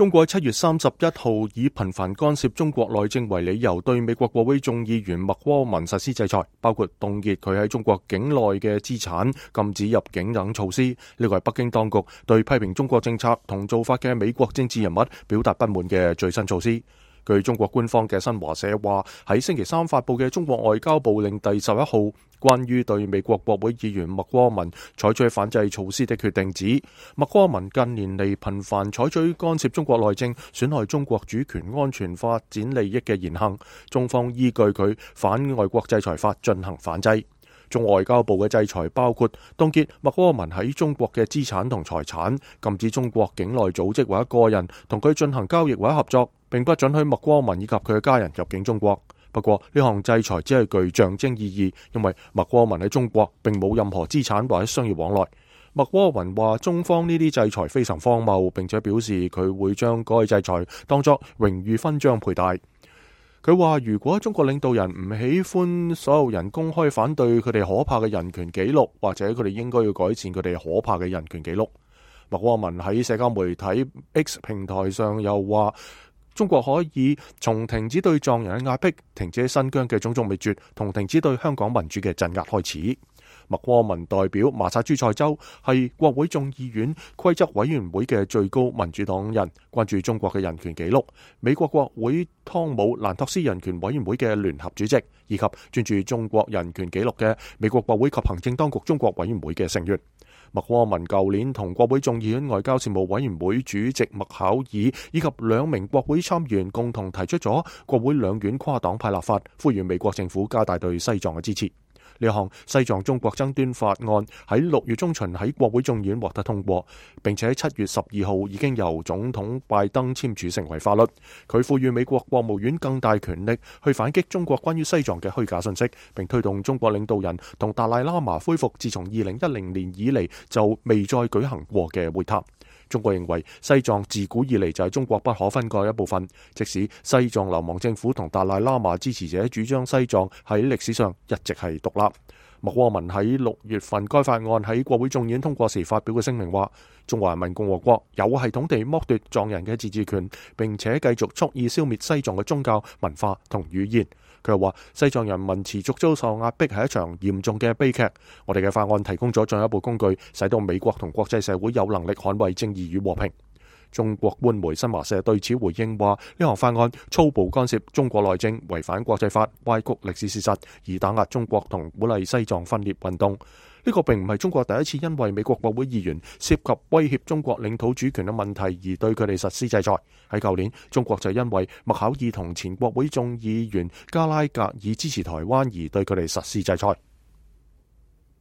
中國7月31號以頻繁干涉中國內政為理由，對美國國會眾議員麥柯文實施制裁，包括凍結佢喺中國境內嘅資產、禁止入境等措施。呢個係北京當局對批評中國政策同做法嘅美國政治人物表達不滿嘅最新措施。據中國官方嘅新華社話，喺星期三發佈嘅中國外交部令第11號關於對美國國會議員麥柯文採取反制措施的決定指，麥柯文近年嚟頻繁採取干涉中國內政、損害中國主權安全發展利益嘅言行，中方依據佢反外國制裁法進行反制。中外交部嘅制裁包括凍結麥柯文喺中國嘅資產同財產，禁止中國境內組織或者個人同佢進行交易或者合作，並不准許麥柯文以及佢嘅家人入境中國。不過呢項制裁只係具象徵意義，因為麥柯文喺中國並冇任何資產或者商業往來。麥柯文話中方呢啲制裁非常荒謬，並且表示佢會將該制裁當作榮譽勳章佩戴。佢話如果中國領導人唔喜歡所有人公開反對佢哋可怕嘅人權紀錄，或者佢哋應該要改善佢哋可怕嘅人權紀錄。麥柯文喺社交媒體 X 平台上又話，中國可以從停止對藏人嘅壓迫、停止喺新疆嘅種族滅絕同停止對香港民主嘅鎮壓開始。麥柯文代表麻薩諸塞州，係國會眾議院規則委員會嘅最高民主黨人，關注中國嘅人權紀錄，美國國會湯姆蘭托斯人權委員會嘅聯合主席，以及專注中國人權紀錄嘅美國國會及行政當局中國委員會嘅成員。麥柯文舊年同國會眾議院外交事務委員會主席麥考爾以及2名國會參議員共同提出咗國會兩院跨黨派立法，呼籲美國政府加大對西藏嘅支持。呢項西藏中國爭端法案喺6月中旬喺國會眾議院獲得通過，並且喺7月12號已經由總統拜登簽署成為法律。佢賦予美國國務院更大權力去反擊中國關於西藏嘅虛假信息，並推動中國領導人同達賴喇嘛恢復自從2010年以嚟就未再舉行過嘅會談。中國認為西藏自古以嚟就係中國不可分割一部分，即使西藏流亡政府同達賴喇嘛支持者主張西藏喺歷史上一直係獨立。麥柯文喺6月份該法案喺國會眾議院通過時發表嘅聲明話，中華人民共和國有系統地剝奪藏人嘅自治權，並且繼續蓄意消滅西藏嘅宗教、文化同語言。佢又話，西藏人民持續遭受壓迫係一場嚴重嘅悲劇。我哋嘅法案提供咗進一步工具，使到美國同國際社會有能力捍衛正義與和平。中國官媒新華社對此回應話，呢項法案粗暴干涉中國內政，違反國際法，歪曲歷史事實，以打壓中國同鼓勵西藏分裂運動。呢個並唔係中國第一次因為美國國會議員涉及威脅中國領土主權嘅問題而對佢哋實施制裁。喺舊年，中國就因為麥考爾同前國會眾議員加拉格爾支持台灣而對佢哋實施制裁。